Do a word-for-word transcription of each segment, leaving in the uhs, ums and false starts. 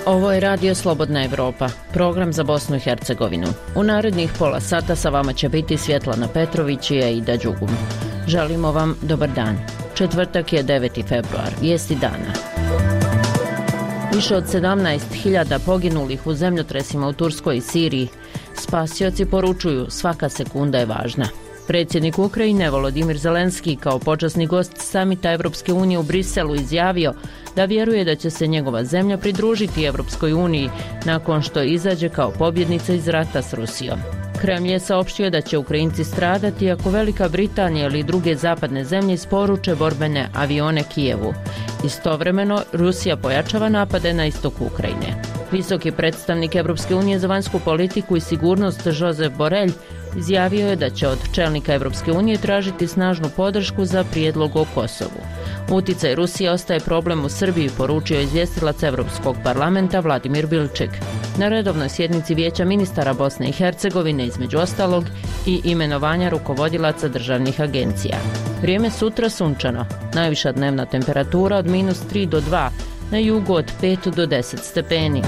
Ovo je Radio Slobodna Evropa, program za Bosnu i Hercegovinu. U narednih pola sata sa vama će biti Svjetlana Petrović i Aida Đugum. Želimo vam dobar dan. Četvrtak je deveti februar, vijesti dana. Više od sedamnaest hiljada poginulih u zemljotresima u Turskoj i Siriji. Spasioci poručuju, svaka sekunda je važna. Predsjednik Ukrajine Volodimir Zelenski kao počasni gost samita Evropske unije u Briselu izjavio da vjeruje da će se njegova zemlja pridružiti Evropskoj uniji nakon što izađe kao pobjednica iz rata s Rusijom. Kremlj je saopštio da će Ukrajinci stradati ako Velika Britanija ili druge zapadne zemlje isporuče borbene avione Kijevu. Istovremeno, Rusija pojačava napade na istok Ukrajine. Visoki predstavnik Evropske unije za vanjsku politiku i sigurnost Josep Borrell izjavio je da će od čelnika Evropske unije tražiti snažnu podršku za prijedlog o Kosovu. Uticaj Rusije ostaje problem u Srbiji, poručio izvjestilac Evropskog parlamenta Vladimir Bilčik. Na redovnoj sjednici Vijeća ministara Bosne i Hercegovine, između ostalog, i imenovanja rukovodilaca državnih agencija. Vrijeme sutra sunčano, najviša dnevna temperatura od minus tri do dva, na jugu od pet do deset stepeni.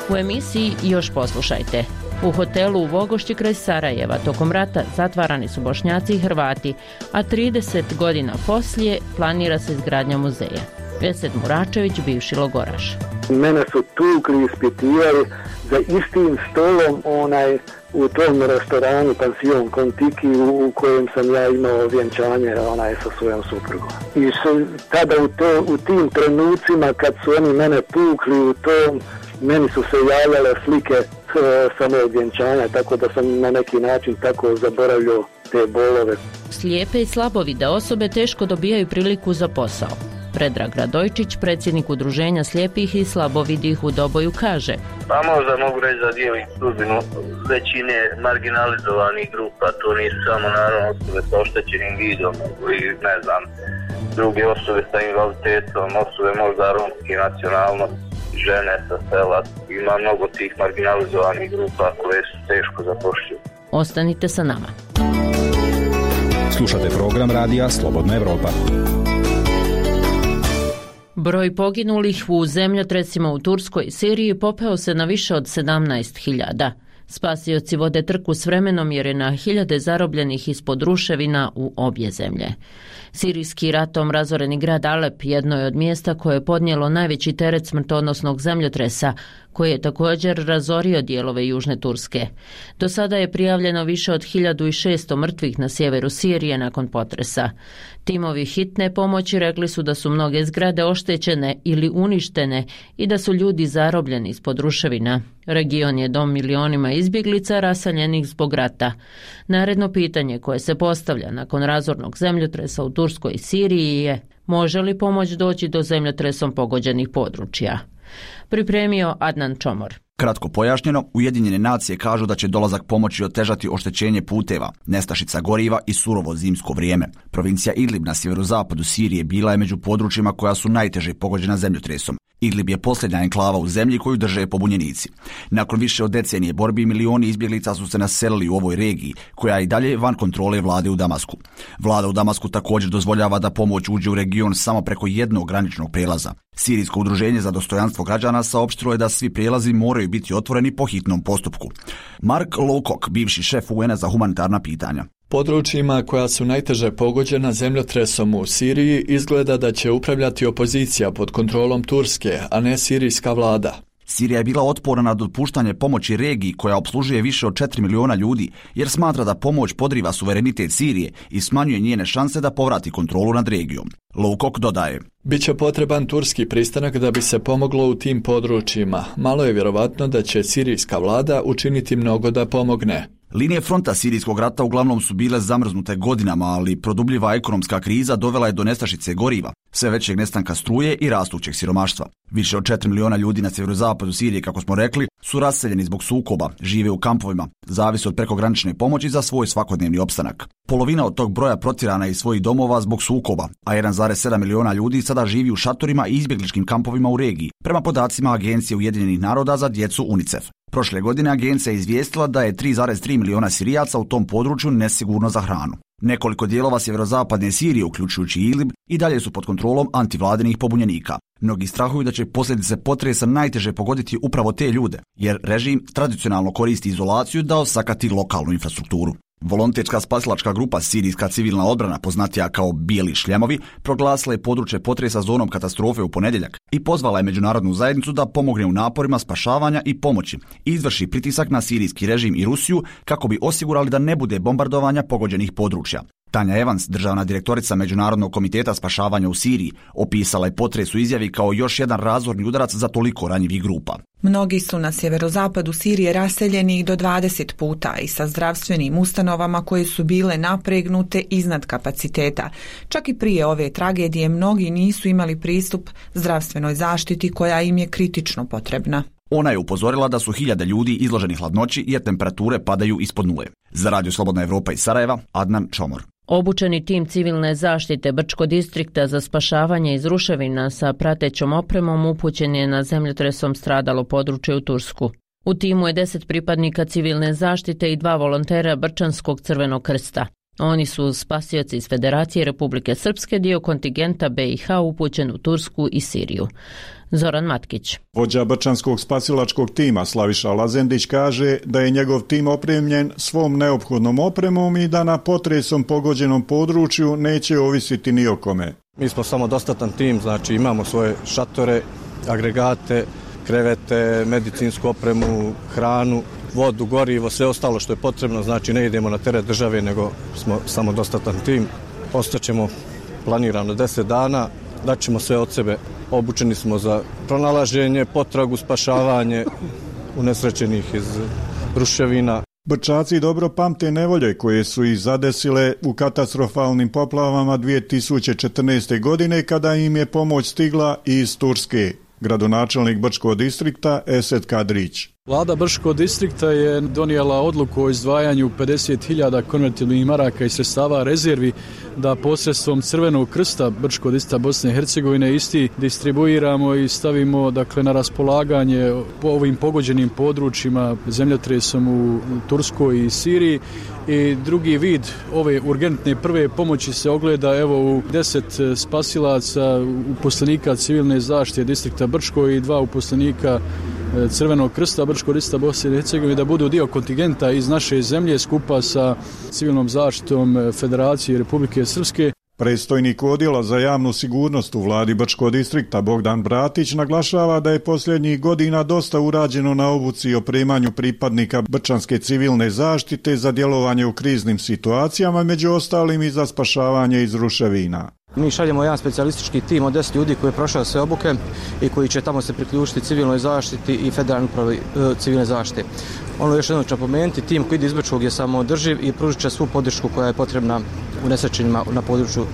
U emisiji još poslušajte. U hotelu u Vogošći kraj Sarajeva tokom rata zatvarani su Bošnjaci i Hrvati, a trideset godina poslije planira se izgradnja muzeja. Vesed Muračević, bivši logoraš. Mene su tukli, ispitivali za istim stolom onaj u tom restoranu Pansion Kontiki u, u kojem sam ja imao vjenčanje onaj sa svojom suprugom. I su, tada u, to, u tim trenucima kad su oni mene tukli u tom, meni su se javljale slike sa mojeg vjenčanja, tako da sam na neki način tako zaboravljao te bolove. Slijepe i slabovide osobe teško dobijaju priliku za posao. Predrag Radojčić, predsjednik udruženja slijepih i slabovidih u Doboju, kaže: Pa možda mogu reći da dijelim sudbinu većine marginalizovanih grupa, to nisu samo naravno osobe sa oštećenim vidom i ne znam, druge osobe sa invaliditetom, osobe možda romske nacionalnosti, žene sa sela. Ima mnogo tih marginalizovanih grupa koje su teško zapošljive. Ostanite sa nama. Slušate program Radija Slobodna Evropa. Broj poginulih u zemljotresima u Turskoj i Siriji popeo se na više od sedamnaest hiljada. Spasioci vode trku s vremenom jer je na hiljade zarobljenih ispod ruševina u obje zemlje. Sirijski ratom razoreni grad Alep jedno je od mjesta koje je podnijelo najveći teret smrtonosnog zemljotresa, koji je također razorio dijelove južne Turske. Do sada je prijavljeno više od hiljadu šesto mrtvih na sjeveru Sirije nakon potresa. Timovi hitne pomoći rekli su da su mnoge zgrade oštećene ili uništene i da su ljudi zarobljeni ispod ruševina. Region je dom milionima izbjeglica raseljenih zbog rata. Naredno pitanje koje se postavlja nakon razornog zemljotresa u Turskoj i Siriji je: može li pomoć doći do zemljotresom pogođenih područja? Pripremio Adnan Čomor. Kratko pojašnjeno, Ujedinjene nacije kažu da će dolazak pomoći otežati oštećenje puteva, nestašica goriva i surovo zimsko vrijeme. Provincija Idlib na sjeverozapadu Sirije bila je među područjima koja su najteže pogođena zemljotresom. Idlib je posljednja enklava u zemlji koju drže pobunjenici. Nakon više od decenije borbi, milioni izbjeglica su se naselili u ovoj regiji, koja je i dalje van kontrole vlade u Damasku. Vlada u Damasku također dozvoljava da pomoć uđe u region samo preko jednog graničnog prelaza. Sirijsko udruženje za dostojanstvo građana saopštilo je da svi prijelazi moraju biti otvoreni po hitnom postupku. Mark Lowcock, bivši šef U N-a za humanitarna pitanja: područjima koja su najteže pogođena zemljotresom u Siriji izgleda da će upravljati opozicija pod kontrolom Turske, a ne sirijska vlada. Sirija je bila otporna na dopuštanje pomoći regiji koja opslužuje više od četiri miliona ljudi, jer smatra da pomoć podriva suverenitet Sirije i smanjuje njene šanse da povrati kontrolu nad regijom. Lowcock dodaje: biće potreban turski pristanak da bi se pomoglo u tim područjima. Malo je vjerovatno da će sirijska vlada učiniti mnogo da pomogne. Linije fronta sirijskog rata uglavnom su bile zamrznute godinama, ali produbljiva ekonomska kriza dovela je do nestašice goriva, sve većeg nestanka struje i rastućeg siromaštva. Više od četiri miliona ljudi na sjeverozapadu Sirije, kako smo rekli, su raseljeni zbog sukoba, žive u kampovima, zavise od prekogranične pomoći za svoj svakodnevni opstanak. Polovina od tog broja protjerana je iz svojih domova zbog sukoba, a jedan zarez sedam miliona ljudi sada živi u šatorima i izbjegličkim kampovima u regiji, prema podacima Agencije Ujedinjenih naroda za djecu UNICEF. Prošle godine agencija je izvijestila da je tri zarez tri miliona Sirijaca u tom području nesigurno za hranu. Nekoliko dijelova sjeverozapadne Sirije, uključujući Idlib, i dalje su pod kontrolom antivladinih pobunjenika. Mnogi strahuju da će posljedice potresa najteže pogoditi upravo te ljude, jer režim tradicionalno koristi izolaciju da osakati lokalnu infrastrukturu. Volonterska spasilačka grupa Sirijska civilna odbrana, poznatija kao Bijeli šljemovi, proglasila je područje potresa zonom katastrofe u ponedjeljak i pozvala je međunarodnu zajednicu da pomogne u naporima spašavanja i pomoći i izvrši pritisak na sirijski režim i Rusiju kako bi osigurali da ne bude bombardovanja pogođenih područja. Tanja Evans, državna direktorica Međunarodnog komiteta spašavanja u Siriji, opisala je potres u izjavi kao još jedan razorni udarac za toliko ranjivih grupa. Mnogi su na sjeverozapadu Sirije raseljeni i do dvadeset puta i sa zdravstvenim ustanovama koje su bile napregnute iznad kapaciteta. Čak i prije ove tragedije mnogi nisu imali pristup zdravstvenoj zaštiti koja im je kritično potrebna. Ona je upozorila da su hiljade ljudi izloženi hladnoći jer temperature padaju ispod nule. Za Radio Slobodna Evropa iz Sarajeva, Adnan Čomor. Obučeni tim civilne zaštite Brčko distrikta za spašavanje iz ruševina sa pratećom opremom upućen je na zemljotresom stradalo područje u Tursku. U timu je deset pripadnika civilne zaštite i dva volontera Brčanskog crvenog krsta. Oni su spasioci iz Federacije Republike Srpske, dio kontingenta B i H upućen u Tursku i Siriju. Zoran Matkić. Vođa Brčanskog spasilačkog tima Slaviša Lazendić kaže da je njegov tim opremljen svom neophodnom opremom i da na potresom pogođenom području neće ovisiti ni o kome. Mi smo samodostatan tim, znači imamo svoje šatore, agregate, krevete, medicinsku opremu, hranu, vodu, gorivo, sve ostalo što je potrebno, znači ne idemo na teret države, nego smo samodostatan tim. Ostaćemo planirano deset dana, daćemo sve od sebe. Obučeni smo za pronalaženje, potragu, spašavanje unesrećenih iz ruševina. Brčaci dobro pamte nevolje koje su ih zadesile u katastrofalnim poplavama dvije tisuće četrnaeste. godine kada im je pomoć stigla iz Turske. Gradonačelnik Brčkog distrikta Esed Kadrić. Vlada Brčkog distrikta je donijela odluku o izdvajanju pedeset hiljada konvertibilnih maraka i sredstava rezervi da posredstvom Crvenog krsta Brčkog distrikta Bosne i Hercegovine isti distribuiramo i stavimo dakle na raspolaganje po ovim pogođenim područjima zemljotresom u Turskoj i Siriji. I drugi vid ove urgentne prve pomoći se ogleda evo u deset spasilaca, uposlenika civilne zaštite distrikta Brčko i dva uposlenika Crvenog krsta Brčkog distrikta Bosne i Hercegovine da budu dio kontingenta iz naše zemlje skupa sa civilnom zaštitom Federacije Republike Srpske. Predstojnik odjela za javnu sigurnost u vladi Brčkog distrikta Bogdan Bratić naglašava da je posljednjih godina dosta urađeno na obuci i opremanju pripadnika Brčanske civilne zaštite za djelovanje u kriznim situacijama, među ostalim i za spašavanje iz ruševina. Mi šaljemo jedan specijalistički tim od deset ljudi koji je prošao sve obuke i koji će tamo se priključiti civilnoj zaštiti i federalnoj upravi civilne zaštite. Ono još jednom ću napomenuti, tim koji ide iz Brčkog je samoodrživ i pružit će svu podršku koja je potrebna unesrećenima na području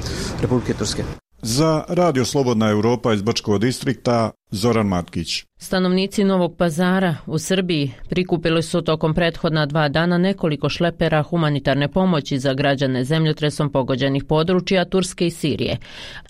Republike Turske. Za Radio Slobodna Evropa iz Brčkog distrikta, Zoran Matkić. Stanovnici Novog Pazara u Srbiji prikupili su tokom prethodna dva dana nekoliko šlepera humanitarne pomoći za građane zemljotresom pogođenih područja Turske i Sirije.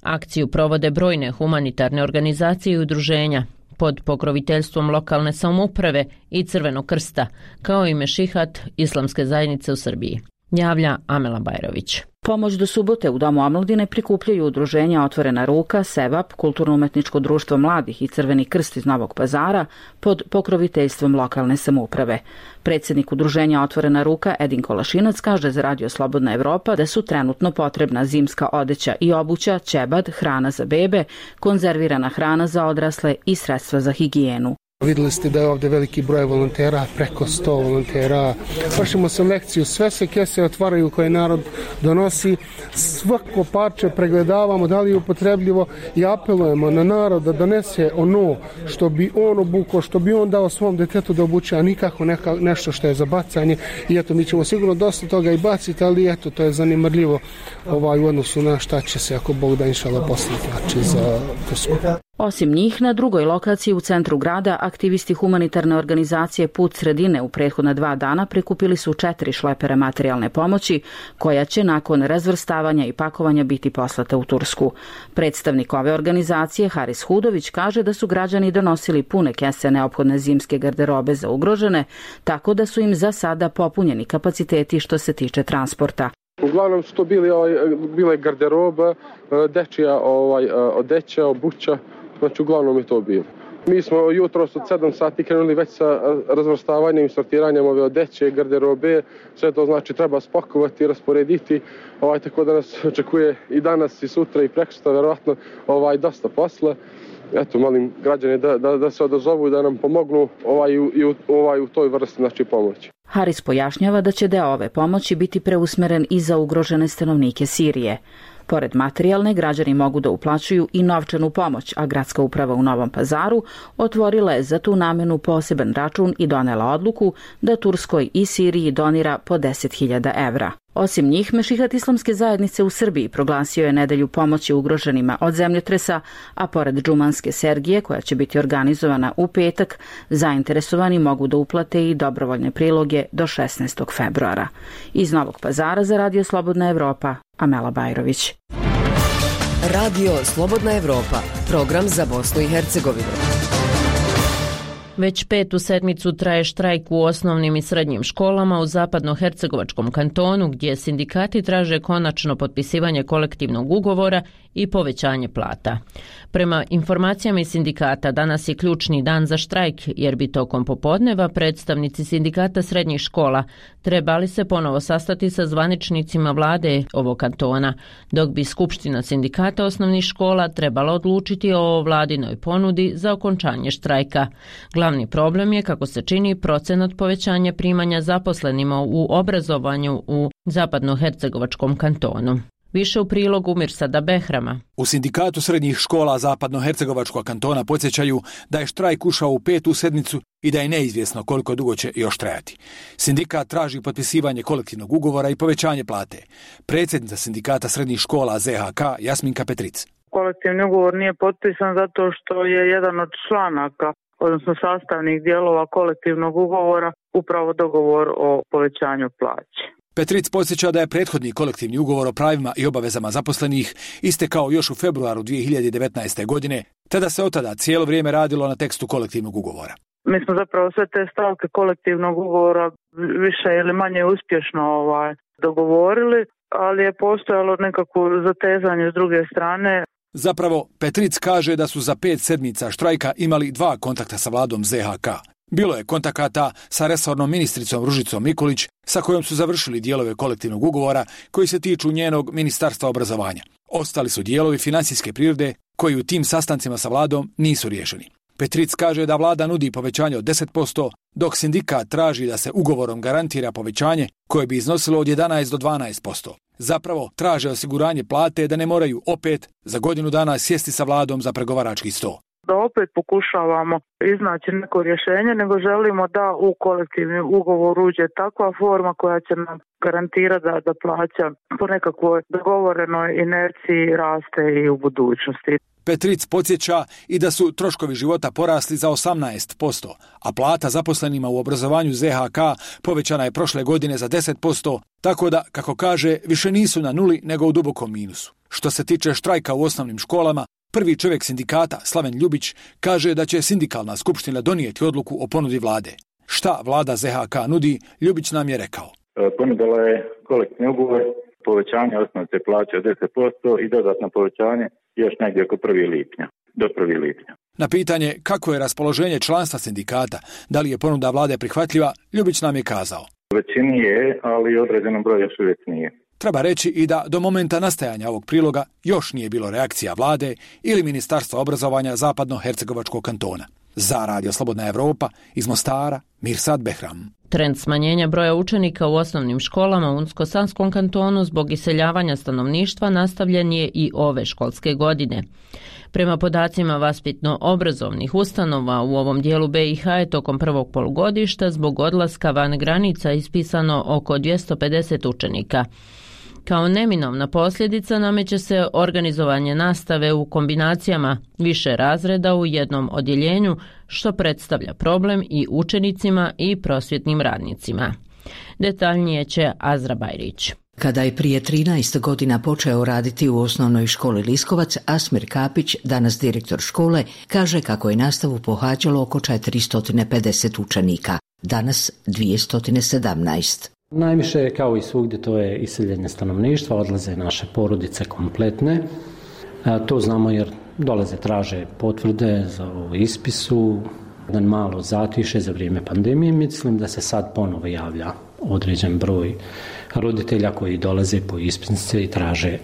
Akciju provode brojne humanitarne organizacije i udruženja pod pokroviteljstvom lokalne samouprave i Crvenog krsta, kao i Mešihat islamske zajednice u Srbiji. Javlja Amela Bajrović. Pomoć do subote u Domu omladine prikupljaju udruženja Otvorena ruka, Sevap, Kulturno-umetničko društvo mladih i Crveni krst iz Novog Pazara pod pokroviteljstvom lokalne samouprave. Predsjednik udruženja Otvorena ruka Edin Kolašinac kaže za Radio Slobodna Evropa da su trenutno potrebna zimska odeća i obuća, ćebad, hrana za bebe, konzervirana hrana za odrasle i sredstva za higijenu. Vidjeli ste da je ovdje veliki broj volontera, preko sto volontera. Vršimo selekciju, sve se kese otvaraju koje narod donosi, svako parče pregledavamo da li je upotrebljivo i apelujemo na narod da donese ono što bi on obukao, što bi on dao svom detetu da obuče, a nikako neka, nešto što je za bacanje. I eto, mi ćemo sigurno dosta toga i baciti, ali eto, to je zanimljivo ovaj, u odnosu na šta će se, ako Bog da inšala poslati, znači za Tursku. Osim njih, na drugoj lokaciji u centru grada, aktivisti humanitarne organizacije Put sredine u prethodna dva dana prikupili su četiri šlepera materijalne pomoći, koja će nakon razvrstavanja i pakovanja biti poslata u Tursku. Predstavnik ove organizacije, Haris Hudović, kaže da su građani donosili pune kese neophodne zimske garderobe za ugrožene, tako da su im za sada popunjeni kapaciteti što se tiče transporta. Uglavnom su to bili, ovaj, bile garderoba, dečija ovaj, odeća, obuća, znači uglavnom je to bilo. Mi smo jutros od sedam sati krenuli već sa razvrstavanjem i sortiranjem ove odeće, garderobe, sve to znači treba spakovati, rasporediti, ovaj, tako da nas očekuje i danas i sutra i prekosutra verovatno ovaj, dosta posla. Eto, molim građane da, da, da se odazovu i da nam pomognu ovaj, u, ovaj, u toj vrsti znači, pomoći. Haris pojašnjava da će deo ove pomoći biti preusmeren i za ugrožene stanovnike Sirije. Pored materijalne, građani mogu da uplaćuju i novčanu pomoć, a gradska uprava u Novom Pazaru otvorila je za tu namenu poseban račun i donela odluku da Turskoj i Siriji donira po deset hiljada evra. Osim njih, Mešihat islamske zajednice u Srbiji proglasio je nedelju pomoći ugroženima od zemljotresa, a pored džumanske sergije, koja će biti organizovana u petak, zainteresovani mogu da uplate i dobrovoljne priloge do šesnaestog februara. Iz Novog Pazara za Radio Slobodna Evropa, Amela Bajrović. Radio Slobodna Evropa, program za Bosnu i Hercegovinu. Već petu sedmicu traje štrajk u osnovnim i srednjim školama u zapadnohercegovačkom kantonu, gdje sindikati traže konačno potpisivanje kolektivnog ugovora i povećanje plata. Prema informacijama iz sindikata, danas je ključni dan za štrajk, jer bi tokom popodneva predstavnici sindikata srednjih škola trebali se ponovo sastati sa zvaničnicima vlade ovog kantona, dok bi Skupština sindikata osnovnih škola trebala odlučiti o vladinoj ponudi za okončanje štrajka. Glavni problem je, kako se čini, procenat povećanja primanja zaposlenima u obrazovanju u zapadnohercegovačkom kantonu. Više u prilogu Mirsada Behrama. U sindikatu srednjih škola zapadnohercegovačkog kantona podsjećaju da je štrajk ušao u petu sedmicu i da je neizvjesno koliko dugo će još trajati. Sindikat traži potpisivanje kolektivnog ugovora i povećanje plate. Predsjednica sindikata srednjih škola Z H K Jasminka Petric. Kolektivni ugovor nije potpisan zato što je jedan od članaka, odnosno sastavnih dijelova kolektivnog ugovora, upravo dogovor o povećanju plaće. Petric podsjeća da je prethodni kolektivni ugovor o pravima i obavezama zaposlenih istekao još u februaru dvije hiljade devetnaeste. godine, te da se od tada cijelo vrijeme radilo na tekstu kolektivnog ugovora. Mi smo zapravo sve te stavke kolektivnog ugovora više ili manje uspješno ovaj, dogovorili, ali je postojalo nekako zatezanje s druge strane. Zapravo, Petric kaže da su za pet sedmica štrajka imali dva kontakta sa vladom Z H K. Bilo je kontakata sa resornom ministricom Ružicom Nikolić, sa kojom su završili dijelove kolektivnog ugovora koji se tiču njenog ministarstva obrazovanja. Ostali su dijelovi financijske prirode koji u tim sastancima sa vladom nisu riješeni. Petric kaže da vlada nudi povećanje od deset posto, dok sindikat traži da se ugovorom garantira povećanje koje bi iznosilo od jedanaest do dvanaest posto. Zapravo traže osiguranje plate da ne moraju opet za godinu dana sjesti sa vladom za pregovarački sto. Da opet pokušavamo iznaći neko rješenje, nego želimo da u kolektivni ugovor uđe takva forma koja će nam garantirati da, da plaća po nekakvoj dogovorenoj inerciji raste i u budućnosti. Petric podsjeća i da su troškovi života porasli za osamnaest posto, a plata zaposlenima u obrazovanju Z H K povećana je prošle godine za deset posto, tako da, kako kaže, više nisu na nuli nego u dubokom minusu. Što se tiče štrajka u osnovnim školama, prvi čovjek sindikata, Slaven Ljubić, kaže da će sindikalna skupština donijeti odluku o ponudi vlade. Šta vlada Z H K nudi, Ljubić nam je rekao. Ponudila je kolektivni ugovor, povećanje osnovne plaće od deset posto i dodatno povećanje još negdje oko prvog lipnja, do prvog lipnja. Na pitanje kako je raspoloženje članstva sindikata, da li je ponuda vlade prihvatljiva, Ljubić nam je kazao. Većini je, ali određenom broju još uvijek nije. Treba reći i da do momenta nastajanja ovog priloga još nije bilo reakcija vlade ili Ministarstva obrazovanja zapadno-hercegovačkog kantona. Za Radio Slobodna Evropa iz Mostara, Mirsad Behram. Trend smanjenja broja učenika u osnovnim školama u Unsko-Sanskom kantonu zbog iseljavanja stanovništva nastavljen je i ove školske godine. Prema podacima vaspitno-obrazovnih ustanova u ovom dijelu B i H je tokom prvog polugodišta zbog odlaska van granica ispisano oko dvjesto pedeset učenika. Kao neminovna posljedica nameće se organizovanje nastave u kombinacijama više razreda u jednom odjeljenju, što predstavlja problem i učenicima i prosvjetnim radnicima. Detaljnije će Azra Bajrić. Kada je prije trinaest godina počeo raditi u osnovnoj školi Liskovac, Asmir Kapić, danas direktor škole, kaže kako je nastavu pohađalo oko četiristo pedeset učenika, danas dvjesto sedamnaest. Najviše, kao i svugdje, to je iseljenje stanovništva, odlaze naše porodice kompletne. To znamo jer dolaze, traže potvrde za ovo ispisu, jedan malo zatiše za vrijeme pandemije. Mislim da se sad ponovo javlja određen broj roditelja koji dolaze po ispisnice i traže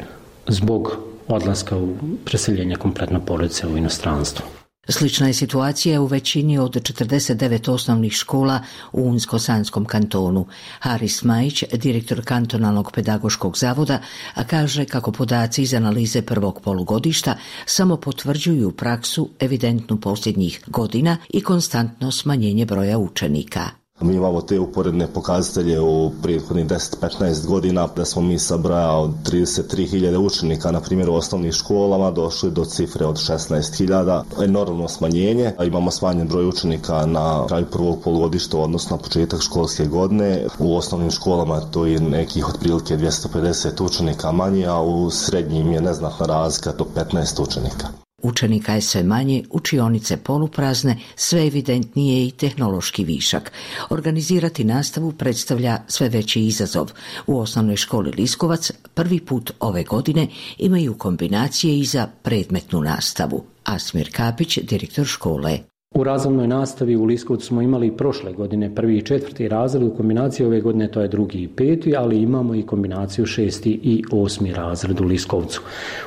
zbog odlaska u preseljenje kompletno porodice u inostranstvo. Slična je situacija u većini od četrdeset devet osnovnih škola u Unsko-Sanskom kantonu. Haris Majić, direktor kantonalnog pedagoškog zavoda, a kaže kako podaci iz analize prvog polugodišta samo potvrđuju praksu evidentnu posljednjih godina i konstantno smanjenje broja učenika. Mi imamo te uporedne pokazatelje u prethodnih deset do petnaest godina, da smo mi sa broja od trideset tri hiljade učenika, na primjer u osnovnim školama, došli do cifre od šesnaest hiljada. Enormno smanjenje, a imamo smanjen broj učenika na kraju prvog polugodišta, odnosno na početak školske godine. U osnovnim školama to je nekih otprilike dvjesto pedeset učenika manje, a u srednjim je neznatna razlika do petnaest učenika. Učenika je sve manje, učionice poluprazne, sve evidentnije i tehnološki višak. Organizirati nastavu predstavlja sve veći izazov. U osnovnoj školi Liskovac prvi put ove godine imaju kombinacije i za predmetnu nastavu. Asmir Kapić, direktor škole. U razrednoj nastavi u Liskovcu smo imali prošle godine prvi i četvrti razred, u kombinaciji ove godine to je drugi i peti, ali imamo i kombinaciju šesti i osmi razred u Liskovcu.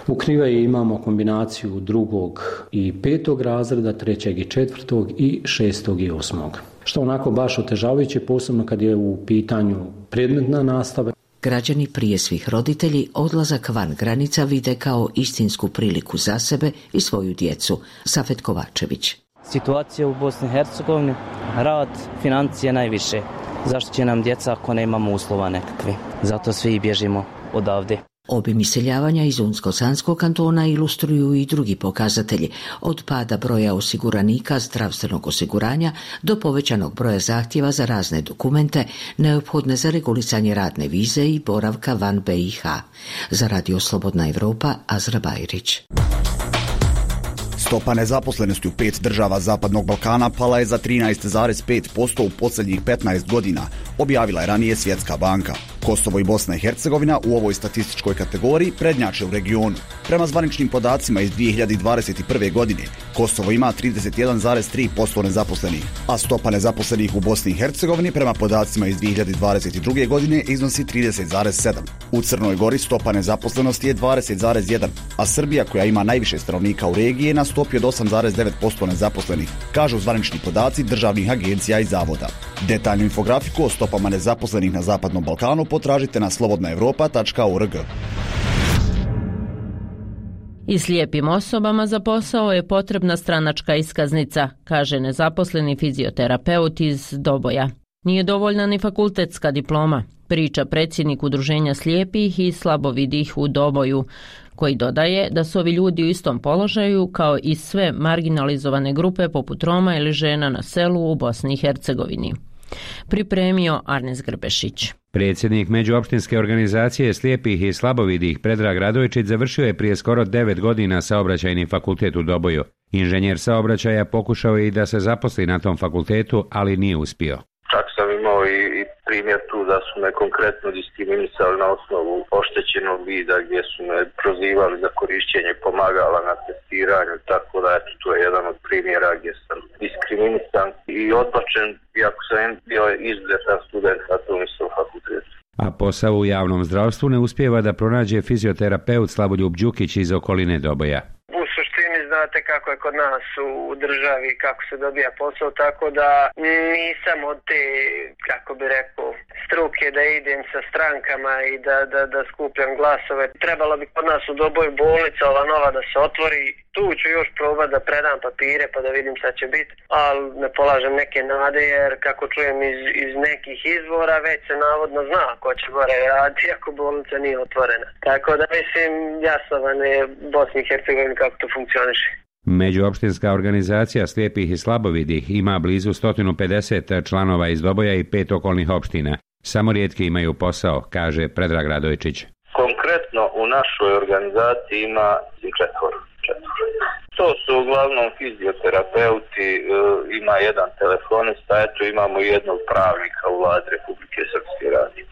U Krivaji imamo kombinaciju drugog i petog razreda, trećeg i četvrtog i šestog i osmog. Što onako baš otežavajuće, posebno kad je u pitanju predmetna nastava. Građani, prije svih roditelji, odlazak van granica vide kao istinsku priliku za sebe i svoju djecu. Safet Kovačević. Situacija u Bosni i Hercegovini, rad, financije najviše. Zašto će nam djeca ako ne imamo uslova nekakve? Zato svi bježimo odavde. Obim iseljavanja iz Unsko-Sanskog kantona ilustruju i drugi pokazatelji, od pada broja osiguranika zdravstvenog osiguranja do povećanog broja zahtjeva za razne dokumente neophodne za regulisanje radne vize i boravka van B i H. Za Radio Slobodna Evropa, Azra Bajrić. Stopa nezaposlenosti u pet država Zapadnog Balkana pala je za trinaest zarez pet posto u posljednjih petnaest godina, objavila je ranije Svjetska banka. Kosovo i Bosna i Hercegovina u ovoj statističkoj kategoriji prednjače u regionu. Prema zvaničnim podacima iz dvije hiljade dvadeset prve. godine, Kosovo ima trideset jedan zarez tri posto nezaposlenih, a stopa nezaposlenih u Bosni i Hercegovini prema podacima iz dvije hiljade dvadeset druge. godine iznosi trideset zarez sedam. U Crnoj Gori stopa nezaposlenosti je dvadeset zarez jedan, a Srbija, koja ima najviše stanovnika u regiji, je na stopi od osam zarez devet posto nezaposlenih, kažu zvanični podaci državnih agencija i zavoda. Detaljnu infografiku o stopama nezaposlenih na Zapadnom Balkanu potražite na slobodna evropa tačka org. I slijepim osobama za posao je potrebna stranačka iskaznica, kaže nezaposleni fizioterapeut iz Doboja. Nije dovoljna ni fakultetska diploma, priča predsjednik Udruženja slijepih i slabovidih u Doboju, koji dodaje da su ovi ljudi u istom položaju kao i sve marginalizovane grupe poput Roma ili žena na selu u Bosni i Hercegovini. Pripremio Arnes Grbešić. Predsjednik Međuopštinske organizacije slijepih i slabovidih Predrag Radojčić završio je prije skoro devet godina saobraćajni fakultet u Doboju. Inženjer saobraćaja pokušao je i da se zaposli na tom fakultetu, ali nije uspio. Čak sam imao i, i primjer tu da su me konkretno diskriminisali na osnovu oštećenog vida, gdje su me prozivali za korišćenje pomagala na testiranju, tako da eto, to je jedan od primjera gdje sam diskriminisan i odbačen, iako sam bio izuzetan student na tom istom fakultetu. A posao u javnom zdravstvu ne uspijeva da pronađe fizioterapeut Slavoljub Đukić iz okoline Doboja. Znate kako je kod nas u državi, kako se dobija posao, tako da nisam od te, kako bi rekao, struke da idem sa strankama i da, da, da skupljam glasove. Trebalo bi kod nas u Doboju bolnica ova nova da se otvori. Tu ću još probati da predam papire pa da vidim šta će biti, ali ne polažem neke nade jer kako čujem iz, iz nekih izvora već se navodno zna ko će gore raditi ako bolnica nije otvorena. Tako da mislim jasno vam je Bosni i Hercegovini kako to funkcioniše. Međuopštinska organizacija slijepih i slabovidih ima blizu sto pedeset članova iz Doboja i pet okolnih opština. Samo rijetki imaju posao, kaže Predrag Radojčić. Konkretno u našoj organizaciji ima četvoro. To su uglavnom fizioterapeuti, ima jedan telefonista, eto imamo jednog pravnika u vladi Republike Srpske. radi.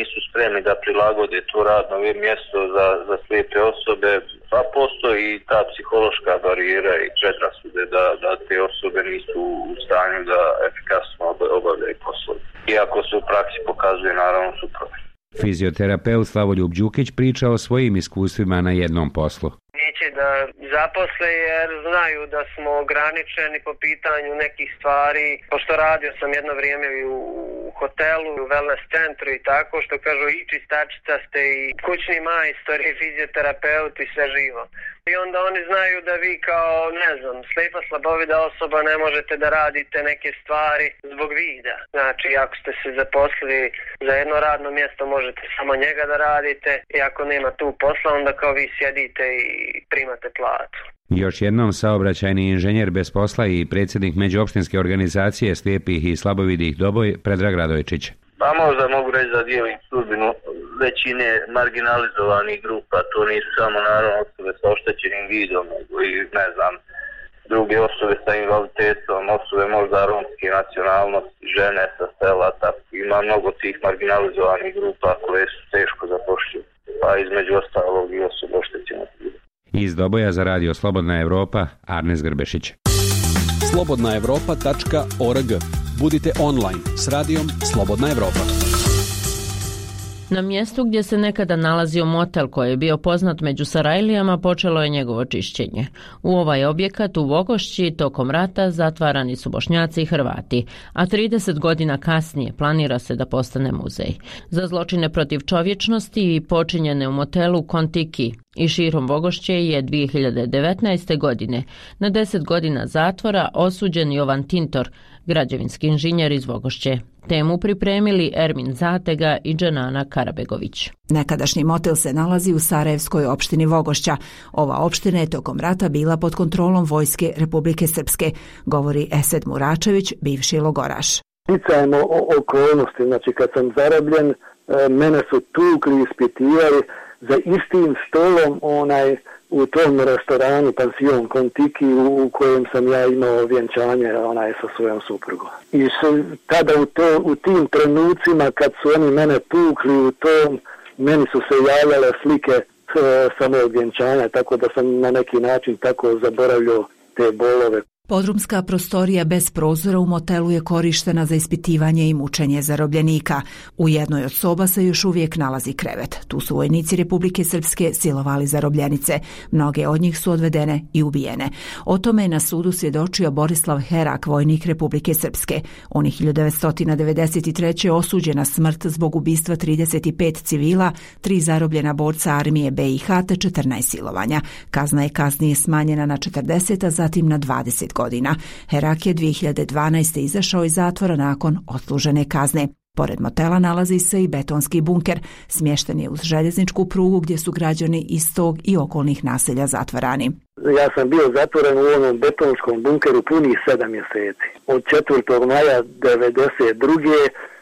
nisu spremni da prilagode to radno mjesto za, za slijepe osobe, pa postoji i ta psihološka barijera i predrasude da, da te osobe nisu u stanju da efikasno obavljaju poslove. Iako se u praksi pokazuje naravno suprotno. Fizioterapeut Slavoljub Đukić priča o svojim iskustvima na jednom poslu. Neće da zaposle jer znaju da smo ograničeni po pitanju nekih stvari. Pošto radio sam jedno vrijeme u hotelu, u wellness centru i tako, što kažu i čistačica ste i kućni majstor i fizioterapeut i sve živo. I onda oni znaju da vi kao, ne znam, slijepa slabovida osoba ne možete da radite neke stvari zbog vida. Znači, ako ste se zaposlili za jedno radno mjesto, možete samo njega da radite i ako nema tu posla, onda kao vi sjedite i primate platu. Još jednom saobraćajni inženjer bez posla i predsjednik međuopštinske organizacije slijepih i slabovidih Doboj, Predrag Radojčić. Pa možda mogu reći da dijelim sudbinu većine marginalizovanih grupa, to nisu samo naravno osobe sa oštećenim vidom, nego i ne znam, druge osobe sa invaliditetom, osobe možda romske nacionalnosti, žene sa sela, tako ima mnogo tih marginalizovanih grupa koje su teško zapošljive, pa između ostalog i osobe oštećenog vida. Iz Doboja za radio Slobodna Evropa, Arnes Grbešić. slobodna evropa tačka org. Budite online s radijom Slobodna Evropa. Na mjestu gdje se nekada nalazio motel koji je bio poznat među Sarajlijama počelo je njegovo čišćenje. U ovaj objekat u Vogošći tokom rata zatvarani su Bošnjaci i Hrvati, a trideset godina kasnije planira se da postane muzej. Za zločine protiv čovječnosti i počinjene u motelu Kontiki i širom Vogošće je dvije hiljade devetnaeste. godine na deset godina zatvora osuđen Jovan Tintor, građevinski inženjer iz Vogošće. Temu pripremili Ermin Zatega i Dženana Karabegović. Nekadašnji motel se nalazi u Sarajevskoj opštini Vogošća. Ova opština je tokom rata bila pod kontrolom vojske Republike Srpske, govori Esed Muračević, bivši logoraš. Sticajem okolnosti, znači kad sam zarobljen, mene su tukli, ispitivali za istim stolom onaj u tom restoranu Pansion Kontiki u kojem sam ja imao vjenčanje onaj sa svojom suprugom. I su, tada u, to, u tim trenucima kad su oni mene tukli u tom, meni su se javljale slike sa mojeg vjenčanja, tako da sam na neki način tako zaboravljao te bolove. Podrumska prostorija bez prozora u motelu je korištena za ispitivanje i mučenje zarobljenika. U jednoj od soba se još uvijek nalazi krevet. Tu su vojnici Republike Srpske silovali zarobljenice. Mnoge od njih su odvedene i ubijene. O tome je na sudu svjedočio Borislav Herak, vojnik Republike Srpske. On je hiljadu devetsto devedeset treće. osuđen na smrt zbog ubistva trideset pet civila, tri zarobljena borca armije be i ha te četrnaest silovanja. Kazna je kasnije smanjena na četrdeset, a zatim na dvadeset godina. Herak je dvije hiljade dvanaeste. izašao iz zatvora nakon odslužene kazne. Pored motela nalazi se i betonski bunker. Smješten je uz željezničku prugu gdje su građani iz tog i okolnih naselja zatvarani. Ja sam bio zatvoren u onom betonskom bunkeru punih sedam mjeseci. Od četvrtog maja devedeset druge.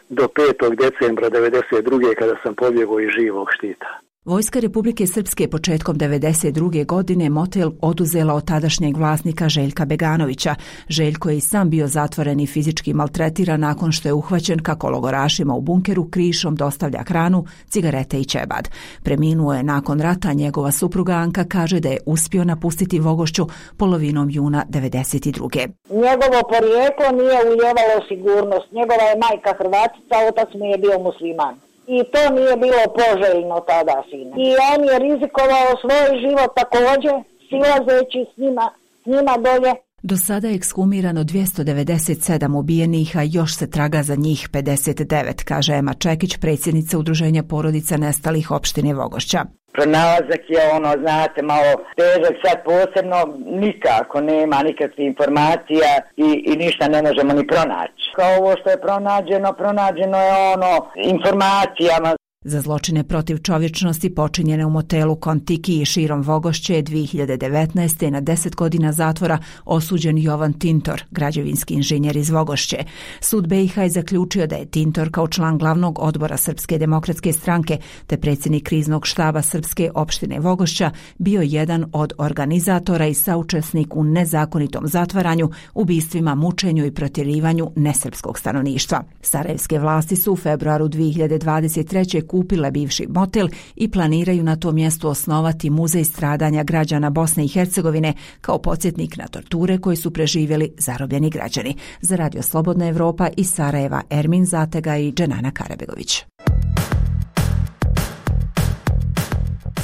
do petog decembra devedeset druge. kada sam pobjegao iz živog štita. Vojska Republike Srpske početkom devedeset druge. godine motel oduzela od tadašnjeg vlasnika Željka Beganovića. Željko je i sam bio zatvoren i fizički maltretiran nakon što je uhvaćen kako logorašima u bunkeru krišom dostavlja hranu, cigarete i ćebad. Preminuo je nakon rata, njegova supruga Anka kaže da je uspio napustiti Vogošću polovinom juna devedeset druge. Njegovo porijeklo nije ulijevalo sigurnost. Njegova je majka Hrvatica, otac mu je bio musliman. I to nije bilo poželjno tada sine. I on je rizikovao svoj život također, silazeći s njima, s njima dolje. Do sada je ekshumirano dvjesto devedeset sedam ubijenih, a još se traga za njih pedeset devet, kaže Ema Čekić, predsjednica Udruženja porodica nestalih opštine Vogošća. Pronalazak je ono, znate, malo težak, sad posebno nikako nema nikakvih informacija i, i ništa ne možemo ni pronaći. Kao ovo što je pronađeno, pronađeno je ono informacijama. Za zločine protiv čovječnosti počinjene u motelu Kontiki i širom Vogošće je dvije hiljade devetnaeste. na deset godina zatvora osuđen Jovan Tintor, građevinski inženjer iz Vogošće. Sud be i ha je zaključio da je Tintor kao član glavnog odbora Srpske demokratske stranke te predsjednik kriznog štaba Srpske opštine Vogošća bio jedan od organizatora i saučesnik u nezakonitom zatvaranju, ubistvima, mučenju i protjerivanju nesrpskog stanovništva. Sarajevske vlasti su u februaru dvije hiljade dvadeset treće. kupile bivši motel i planiraju na tom mjestu osnovati muzej stradanja građana Bosne i Hercegovine kao podsjetnik na torture koje su preživjeli zarobljeni građani. Za Radio Slobodna Evropa iz Sarajeva Ermin Zatega i Dženana Karabegović.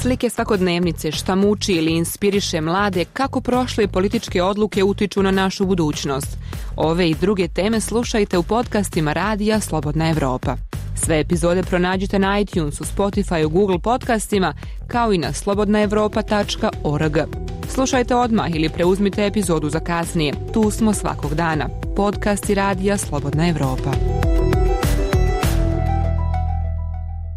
Slike svakodnevnice, šta muči ili inspiriše mlade, kako prošle političke odluke utiču na našu budućnost. Ove i druge teme slušajte u podcastima Radija Slobodna Evropa. Sve epizode pronađite na iTunesu, Spotifyu, Google podcastima, kao i na slobodna evropa tačka org. Slušajte odmah ili preuzmite epizodu za kasnije. Tu smo svakog dana. Podcasti Radija Slobodna Evropa.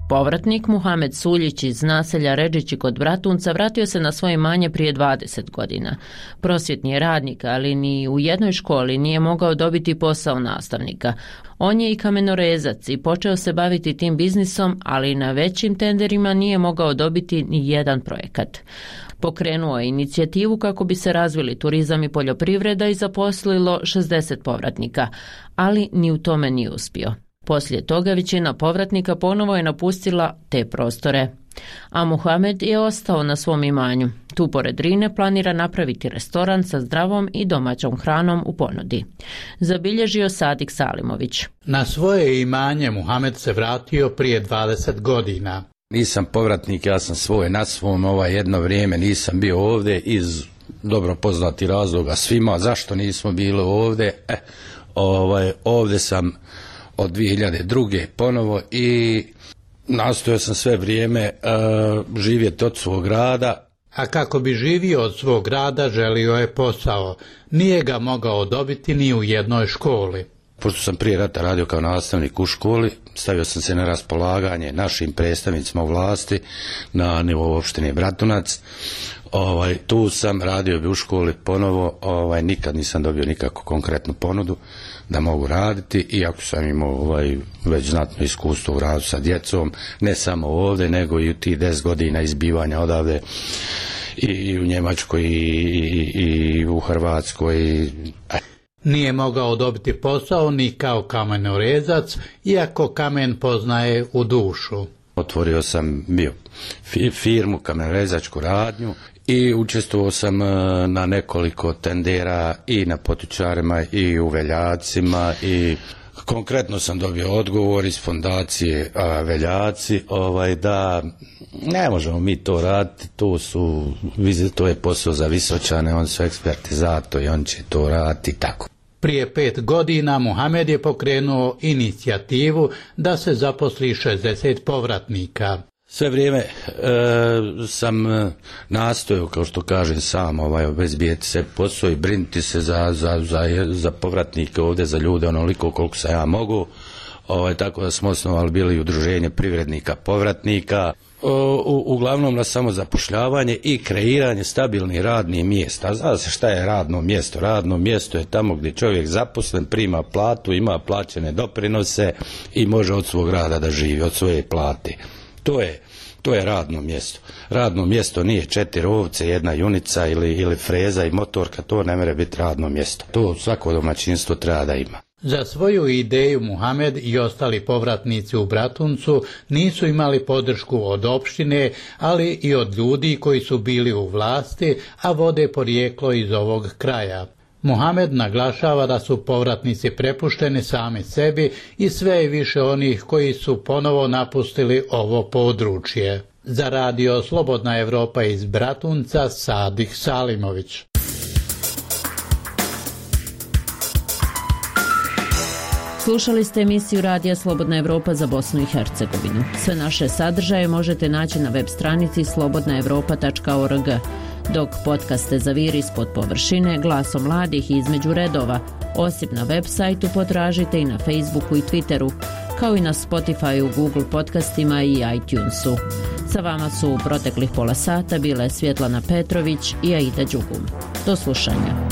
Povratnik Muhamed Suljić iz naselja Redžići kod Bratunca vratio se na svoje imanje prije dvadeset godina. Prosvjetni je radnik, ali ni u jednoj školi nije mogao dobiti posao nastavnika. On je i kamenorezac i počeo se baviti tim biznisom, ali na većim tenderima nije mogao dobiti ni jedan projekat. Pokrenuo je inicijativu kako bi se razvili turizam i poljoprivreda i zaposlilo šezdeset povratnika, ali ni u tome nije uspio. Poslije toga većina povratnika ponovo je napustila te prostore. A Muhamed je ostao na svom imanju. Tu pored Drine planira napraviti restoran sa zdravom i domaćom hranom u ponudi. Zabilježio Sadik Salimović. Na svoje imanje Muhamed se vratio prije dvadeset godina. Nisam povratnik, ja sam svoj na svom, ovaj jedno vrijeme nisam bio ovdje iz dobro poznati razloga svima. Zašto nismo bili ovdje? E, ovaj, ovdje sam od dvije hiljade druge ponovo i nastojao sam sve vrijeme uh, živjeti od svog rada. A kako bi živio od svog rada, želio je posao. Nije ga mogao dobiti ni u jednoj školi. Pošto sam prije rata radio kao nastavnik u školi, stavio sam se na raspolaganje našim predstavnicima u vlasti na nivou opštine Bratunac. Ovaj, tu sam radio bi u školi ponovo, ovaj, nikad nisam dobio nikakvu konkretnu ponudu da mogu raditi, iako sam imao ovaj, već znatno iskustvo u radu sa djecom, ne samo ovdje, nego i u tih deset godina izbivanja odavde i, i u Njemačkoj i, i, i u Hrvatskoj. I... Nije mogao dobiti posao ni kao kamenorezac, iako kamen poznaje u dušu. Otvorio sam bio firmu, kamenorezačku radnju i učestvovao sam na nekoliko tendera i na potičarima i u Veljacima i konkretno sam dobio odgovor iz fondacije a, Veljaci ovaj, da ne možemo mi to raditi, to, su, to je posao za Visočane, on su eksperti za to i on će to raditi tako. Prije pet godina Muhamed je pokrenuo inicijativu da se zaposli šezdeset povratnika. Sve vrijeme e, sam nastojao, kao što kažem sam, ovaj, obezbijeti se posao i brinuti se za, za, za, za povratnike ovdje, za ljude onoliko koliko sam ja mogu. Ovaj, tako da smo osnovali bili udruženje privrednika povratnika. U, uglavnom na samozapošljavanje i kreiranje stabilnih radnih mjesta. Zna se šta je radno mjesto? Radno mjesto je tamo gdje čovjek zaposlen, prima platu, ima plaćene doprinose i može od svog rada da živi, od svoje plate. To je, to je radno mjesto. Radno mjesto nije četiri ovce, jedna junica ili, ili freza i motorka, to ne može biti radno mjesto. To svako domaćinstvo treba da ima. Za svoju ideju Muhamed i ostali povratnici u Bratuncu nisu imali podršku od opštine, ali i od ljudi koji su bili u vlasti, a vode porijeklo iz ovog kraja. Muhamed naglašava da su povratnici prepušteni sami sebi i sve je više onih koji su ponovo napustili ovo područje. Za Radio Slobodna Evropa iz Bratunca, Sadik Salimović. Slušali ste emisiju Radija Slobodna Evropa za Bosnu i Hercegovinu. Sve naše sadržaje možete naći na web stranici slobodna evropa tačka org, dok podcaste Zaviri ispod površine, Glaso mladih i Između redova, osim na web sajtu potražite i na Facebooku i Twitteru, kao i na Spotifyu, Google podcastima i iTunesu. Sa vama su u proteklih pola sata bile Svjetlana Petrović i Aida Đugum. Do slušanja.